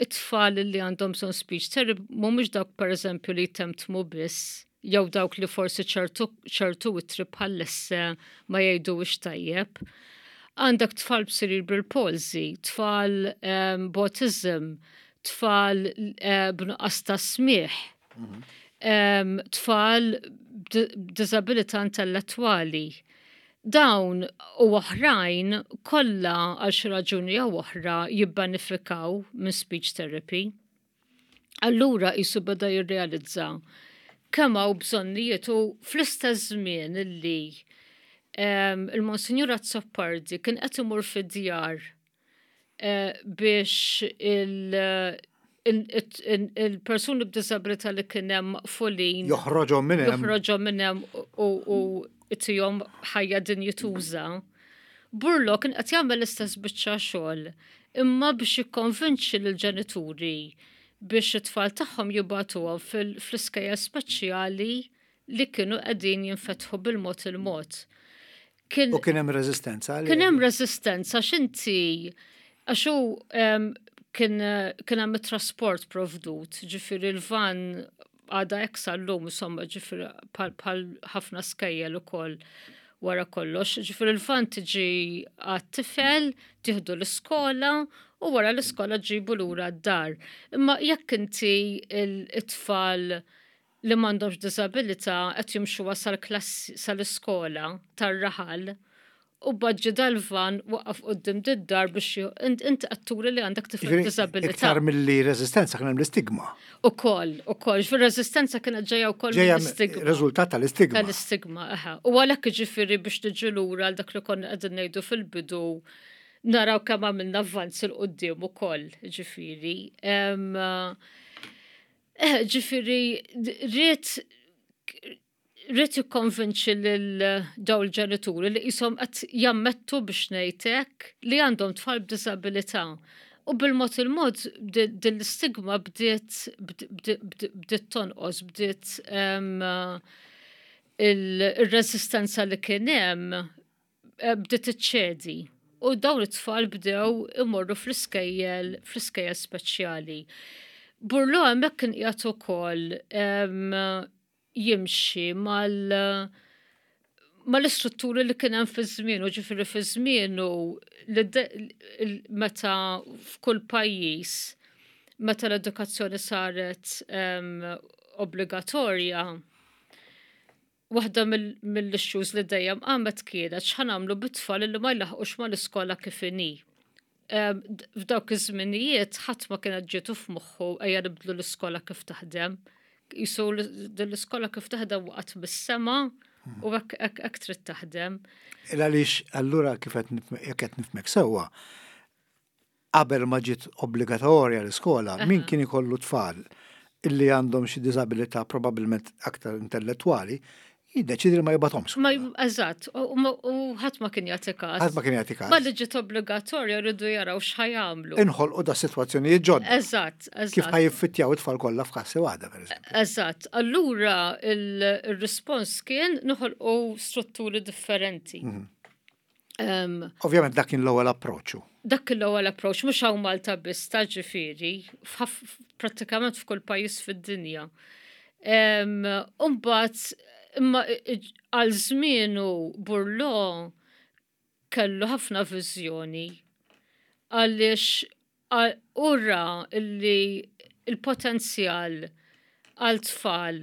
it-tfal li għandhom bżonn speech therapy mhumiex dawk pereżempju li jtemtmu biss jew dawk li forsi ċertu ċertu ittri bħall-esse ma jgħiduhiex tajjeb. Għandek tfal b'cerebral palsy, tfal um, b'autism, tfal uh, b'nuqqas ta' smigħ, um, tfal b'diżabilità intellettwali. Dawn u oħrajn kollha għal xi raġuni jew oħra jibbenefikaw minn speech therapy. Allura qisu beda jirrealizza kemm hawn bżonnijiet u fl-istess żmien illi ehm, il-Monsinjur Azzopardi kien qed imur fid-djar eh, biex il-persuni b'disabilità li kien hemm maqfulin joħroġhom minn hemm joħroġhom minn hemm u itihom ħajja dinjituża. Burlo kien qed jagħmel l-istess biċċa xogħol imma biex jikkonvinċi lill-ġenituri biex it-tfal tagħhom jibagħtuhom fl-iskejjel speċjali li kienu qegħdin jinfetħu bil-mod il-mod. Kien, u kien hemm reżistenza? Kien hemm reżistenza x'inti għax hu kien kien hemm it-trasport provdut, ġifieri l-van għadha hekk sal-lum, insomma, ġifieri bħal ħafna skejjel ukoll wara kollox. Ġifieri l-van tiġi għat-tifel, tieħdu l-iskola u wara l-iskola ġibu lura d-dar. Imma jekk inti it-tfal li m'għandhomx diżabilità qed jimxu sal-klassi sal-iskola tar-raħal u baġġi dal-van waqaf quddiem did-dar biex inti qed turi li għandek tifel b'diżabilità. Iktar milli reżistenza kien hemm l-istigma. Ukoll, ukoll, ġifieri reżistenza kienet ġejja wkoll mill-istigma. Riżultat tal-istigma. Tal-istigma, eħe. U għalhekk jiġifieri biex niġu lura għal dak li konna qegħdin ngħidu fil-bidu naraw kemm għamilna avvanz 'il quddiem ukoll, ġifieri. Eh, ġifieri ried ried jikkonvinċi lil dawn il-ġenituri li qishom qed jammettu biex ngħid hekk li għandhom tfal b'diżabilità. U bil-mod il-mod din l-istigma bdiet bdiet tonqos, bdiet il-reżistenza li kien hemm eh, bdiet iċċedi. U dawn it-tfal bdew imorru fl-iskejjel fl-iskejjel speċjali. Burlo hemmhekk kien qiegħed ukoll jimxi mal mal-istrutturi li kien hemm fi żmienu, ġifieri fi żmienu meta f'kull pajjiż meta l-edukazzjoni saret obbligatorja, waħda mill-issues li dejjem qamet kienet x'ħa nagħmlu bit-tfal li ma jlaħqux mal-iskola kif inhi. F'dawk iż-żminijiet ħadd ma kienet ġietu f'moħħu ejja nibdlu l-iskola kif taħdem. Jisu din l-iskola kif taħdem waqgħet mis-sema u hekk trid taħdem. Il għaliex allura kif qed nifhmek sewwa, qabel ma ġiet obbligatorja l-iskola, min kien ikollu tfal illi għandhom xi diżabilità probabbilment aktar intellettwali, jiddeċidi li ma jibgħathomx. Ma eżatt, u ħadd ma kien jagħti każ. Ħadd ma kien jagħti każ. Ma li ġiet obbligatorja rridu jaraw x'ħa jagħmlu. Inħolqu da sitwazzjonijiet ġodda. Eżatt, eżatt. Kif ħa jiffittjaw it-tfal kollha f'klassi waħda, pereżempju. Eżatt. Allura il-rispons kien noħolqu strutturi differenti. Mhm. Ovvjament dak kien l-ewwel approċċ. Dak kien l-ewwel approċċ mhux hawn Malta biss ta' ġifieri, prattikament f'kull pajjiż fid-dinja. Umbagħad imma għal żmienu Burlo kellu ħafna viżjoni għaliex u ra li l-potenzjal għal tfal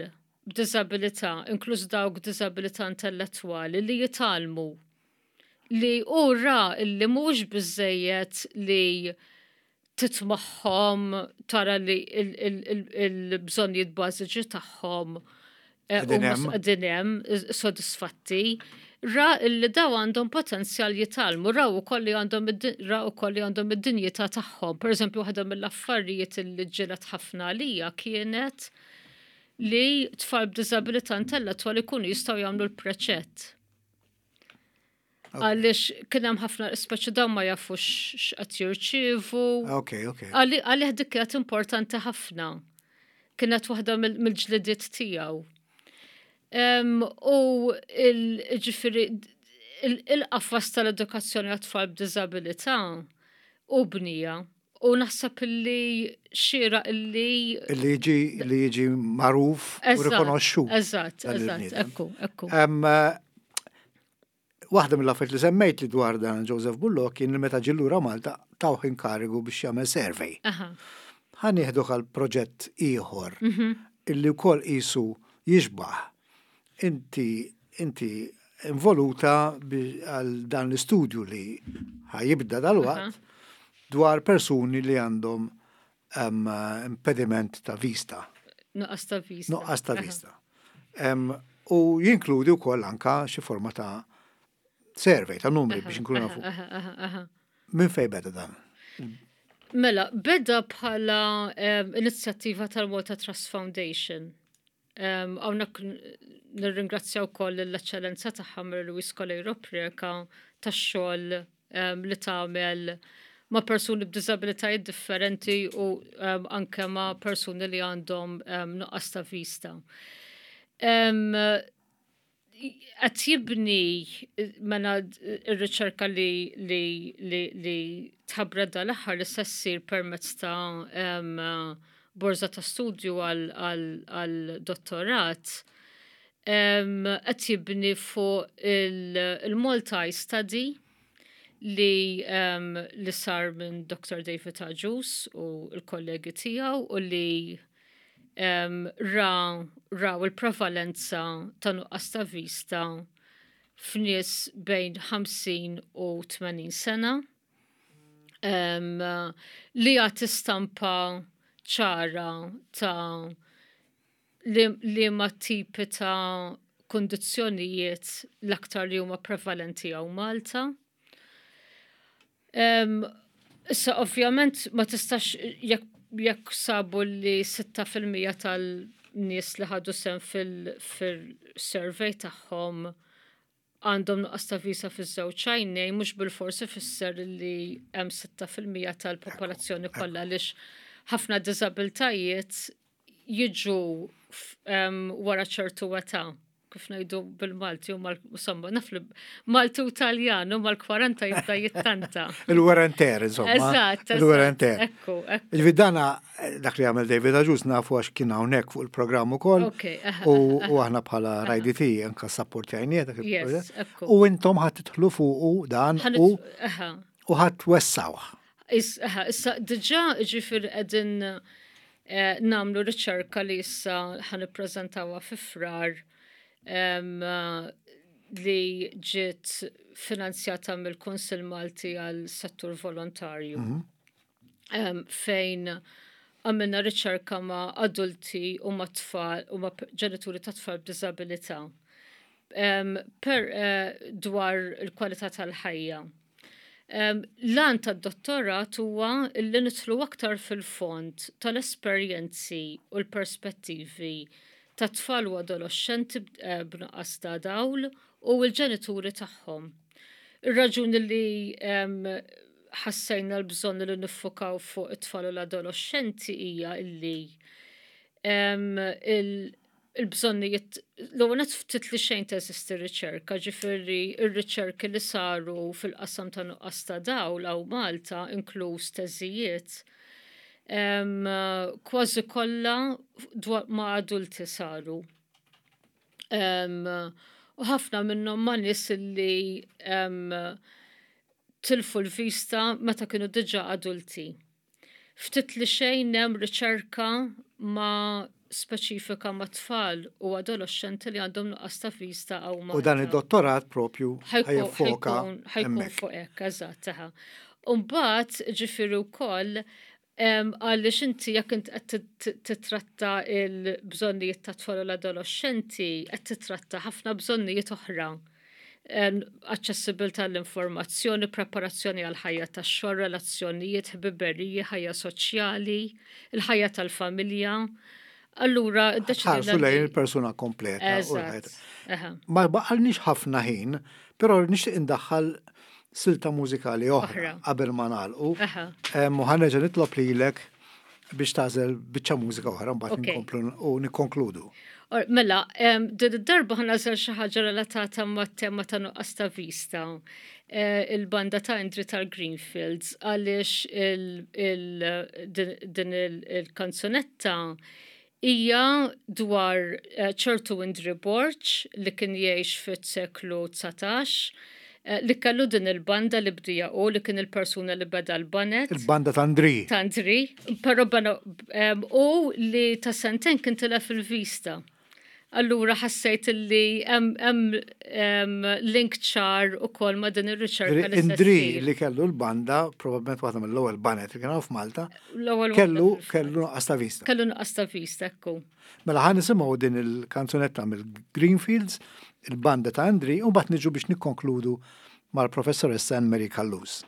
b'diżabilità, inkluż dawk b'diżabilità intellettwali, li jitgħallmu li hu ra li mhuwiex biżżejjed li titmagħhom tara li l-bżonnijiet bażiċi tagħhom qegħdin hemm sodisfatti. Ra li daw għandhom potenzjal jitgħallmu, raw ukoll li għandhom raw ukoll li għandhom id-dinjità tagħhom. Pereżempju, waħda mill-affarijiet li ġġieled ħafna għalija kienet li tfal b'diżabilità intellettwali jkunu jistgħu jagħmlu l-preċett. Għaliex kien hemm ħafna speċi dawn ma jafux x'qed jirċievu. Ok, ok. Għalih dik kienet importanti ħafna. Kienet waħda mill-ġlidiet tiegħu. U ġifieri il-qafas tal-edukazzjoni għat-tfal b'diżabilità u bnija. U naħseb illi xieraq illi. Illi jiġi li jiġi magħruf u rikonoxxut. Eżatt, eżatt, ekku, ekku. Waħda mill-affarijiet li semmejt li dwar dan Joseph Bullo kien li meta ġie lura Malta tawh inkarigu biex jagħmel survey. Ħa nieħdu għal proġett ieħor mhm. illi wkoll qisu jixbaħ. Inti inti involuta għal dan l-istudju li ħajibda dal-waqt dwar persuni li għandhom impediment ta' vista. Nuqqas ta' vista. Nuqqas ta' vista. U jinkludi wkoll anka xi forma ta' survey ta' numri biex nkunu nafu. Minn fej beda dan? Mela, beda bħala inizjattiva tal-Malta Trust Foundation. Hawnhekk nirringrazzja wkoll l-Eċċellenza tagħha Mary Louise Coleiro Preca tax-xogħol li tagħmel ma' persuni b'diżabilitajiet differenti u anke ma' persuni li għandhom nuqqas ta' vista. Qed jibni mela r-riċerka li li li li tħabbret dal-aħħar li se ssir permezz ta' borża ta' studju għal dottorat qed jibni fuq il-Malta Study li li sar minn Dr. David Agius u l-kollegi tiegħu u li ra raw il-prevalenza ta' nuqqas ta' vista f'nies bejn 50 u 80 sena li jagħti stampa ċara ta' liema tipi ta' kundizzjonijiet l-aktar li huma prevalenti hawn Malta. Issa ovvjament ma tistax jekk sabu li 6% tal-nies li ħadu sehem fil-survey tagħhom għandhom nuqqas ta' visa fiż-żewġ għajnejn mhux bilfors ifisser li hemm 6% tal-popolazzjoni kollha għaliex ħafna diżabiltajiet jiġu wara ċertu età. kif ngħidu bil-Malti u mal insomma naf li Malti u Taljan u mal-40 jibda jittanta. Il-wear and tear, insomma. Eżatt. Il-wear and tear. Ekku, ekku. Ġifieri dana dak li għamel David Agius nafu għax kien hawnhekk fuq il-programm ukoll. U aħna bħala RIDT anka sapportjajnieh dak il-proġett. U intom ħadd tidħlu fuqu dan u u ħadd twessawh. Issa diġà ġifieri qegħdin eh, nagħmlu riċerka li issa ħan ippreżentawha fi frar li ġiet finanzjata mill-Kunsill Malti għal settur volontarju. Mhm. Fejn għamilna riċerka ma' adulti u ma' tfal u ma' ġenituri ta' tfal b'diżabilità per eh, dwar il-kwalità tal-ħajja. L-għan tad-dottorat huwa li nidħlu aktar fil-fond tal-esperjenzi u l-perspettivi ta' tfal u adoloxxenti eh, b'nuqqas ta' dawl u l-ġenituri tagħhom. Ir-raġuni li ħassejna l-bżonn li niffukaw fuq it-tfal u l-adoloxxenti hija illi il-bżonnijiet, l-ewwel nett ftit li xejn teżisti riċerka, ġifieri r-riċerki li saru fil-qasam ta' nuqqas ta' dawl hawn Malta, inkluż teżijiet, kważi kollha ma' adulti saru. U ħafna minnhom ma' nies li tilfu l-vista meta kienu diġà adulti. Ftit li xejn hemm riċerka ma' speċifika ma' tfal u adoloxxenti li għandhom nuqqas ta' vista hawn Malta. U dan id-dottorat propju ħa jiffoka Ħa jkun fuq hekk, eżatt, aha. U mbagħad ġifieri wkoll għaliex inti jekk int qed titratta l-bżonnijiet tat-tfal u l-adoloxxenti qed titratta ħafna bżonnijiet oħra. Aċċessibilità għall-informazzjoni, preparazzjoni għall-ħajja tax-xogħol, relazzjonijiet, ħbiberiji, ħajja soċjali, il-ħajja tal-familja. Allura, iddeċidejna. Ħarsu lejn il-persuna kompleta. Eżatt. Ma baqalniex ħafna ħin, però nixtieq indaħħal silta mużikali oħra qabel ma nagħlqu. U ħa nerġa' nitlob lilek biex tagħżel biċċa mużika oħra mbagħad nkomplu u nikkonkludu. Mela, din id-darba ħa nagħżel xi ħaġa relatata mat-tema ta' nuqqas ta' vista. Eh, il-banda ta' Indri tal-Greenfields għaliex din il-kanzunetta hija dwar eh, ċertu Indri Borg li kien jgħix fit-seklu 19 eh, li kellu din il-banda li bdija u li kien il-persuna li beda l-banet. Il-banda ta' Andri. Ta' Andri, pero u li ta' senten kien tilef il-vista. Allura ħassejt li hemm link ċar ukoll ma' din ir-riċerka. Indri li kellu l-banda, probabbilment waħda mill-ewwel banet li kien hawn f'Malta, kellu kellu nuqqas ta' vista. Kellu nuqqas ta' vista, ekku. Mela ħa nisimgħu din il-kanzunetta mill-Greenfields, il-banda ta' Indri, u mbagħad niġu biex nikkonkludu mal-Professoressa Anne Marie Callus.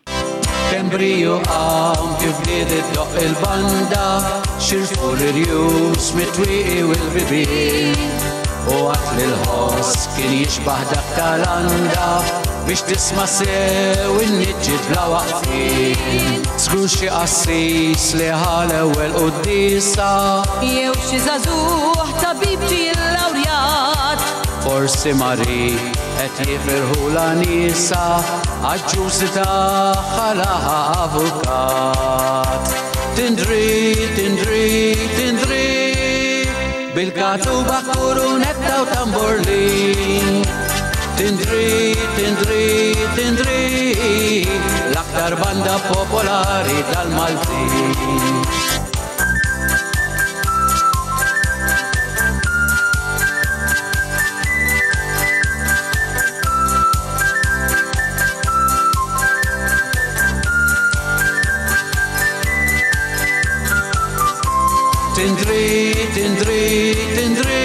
Kemm briju qam kif bdiet iddoqq il-banda, xirfu l-irjus mit-twieqi u l-bibien. U għad li l-ħoss kien jixbah dak tal-anda biex tisma' sew in-niġġiet bla waqfien. Żgur xi qassis li ħa l-ewwel quddiesa. Jew xi żagħżugħ tabib ġie llawrjat. Forsi marid Qed jifirħulha nisa għaġ-ġusi tagħha laħaq avukat. Tindri, tindri, tindri, bil-katuba kurunetta u tamborlin. Tindri, tindri, tindri, l-aktar banda popolari tal-Maltin. Tindri, tindri, tindri,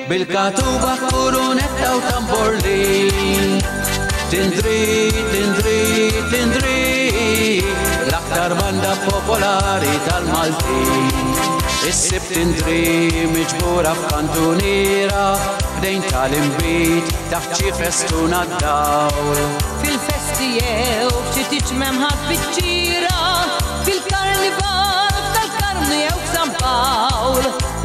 bil-katuba kurunetta u tamborlin. Tindri, tindri, tindri, l-aktar banda popolari tal-Maltin. Issib tindri miġbura f'kantuniera, ħdejn tal-inbid taħt xi festuna d-dawl. Fil-festi jew f'xi tieġ m'hemm ħadd biċ-ċira, fil-karnival f'Tal-Karmnu jew f'San Pawl.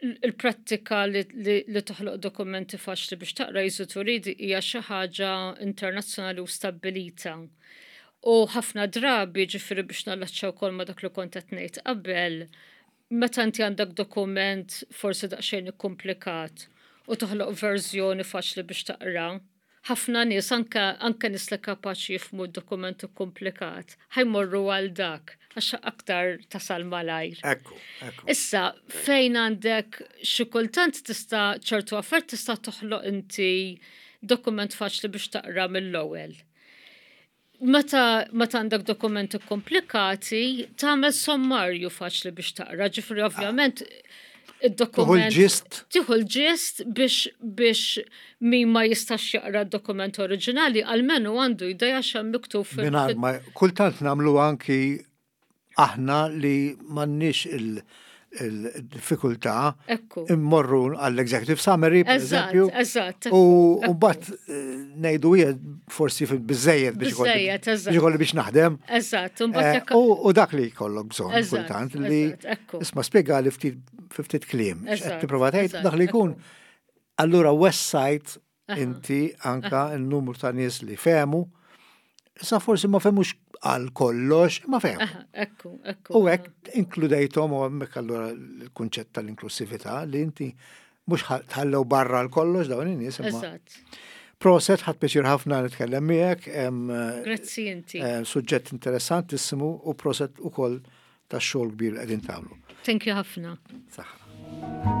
il-prattika li, li, li toħloq dokumenti faċli biex taqra easy to read hija xi ħaġa internazzjonali u stabbilita. U ħafna drabi ġifieri biex nallaċċa wkoll ma' dak li kont qed ngħid qabel, meta inti għandek dokument forsi daqsxejn ikkumplikat u toħloq verżjoni faċli biex taqra, ħafna nies anke anke nies li kapaċi jifhmu d-dokument ikkumplikat, ħa jmorru għal dak għax aktar tasal malajr. Ekku, ekku. Issa, fejn għandek xi kultant tista' ċertu affarijiet tista' toħloq inti dokument faċli biex taqra mill-ewwel. Meta meta għandek dokumenti komplikati, tagħmel sommarju faċli biex taqra, ġifieri ovvjament id-dokument. Tieħu l-ġist. Tieħu l-ġist biex biex min ma jistax jaqra d-dokument oriġinali, almenu għandu idea x'hemm miktub fil- Mingħajr ma kultant nagħmlu anki aħna li m'għandniex il-diffikultà immorru għall-executive summary, per eżempju. Eżatt. U mbagħad eh, ngħidu hija forsi biżejjed biex ikolli biex naħdem. Eżatt. Eh, u dak li jkollok bżonn kultant li isma' spjega li ftit ftit kliem. Qed tipprova tgħid dak li jkun. Allura website inti anka n-numru ta' nies li fehmu, issa forsi ma fehmux għal kollox, ma fehmu. Ekku, ekku. U hekk inkludejthom u hemmhekk allura l-kunċett tal-inklusività li inti mhux tħallew barra l kollox dawn in-nies imma. Eżatt. Proset, ħadt pjaċir ħafna nitkellem miegħek. Grazzi inti. Eh, suġġett interessantissimu u proset ukoll tax-xogħol kbir li qegħdin tagħmlu. Thank you ħafna. Saħħa.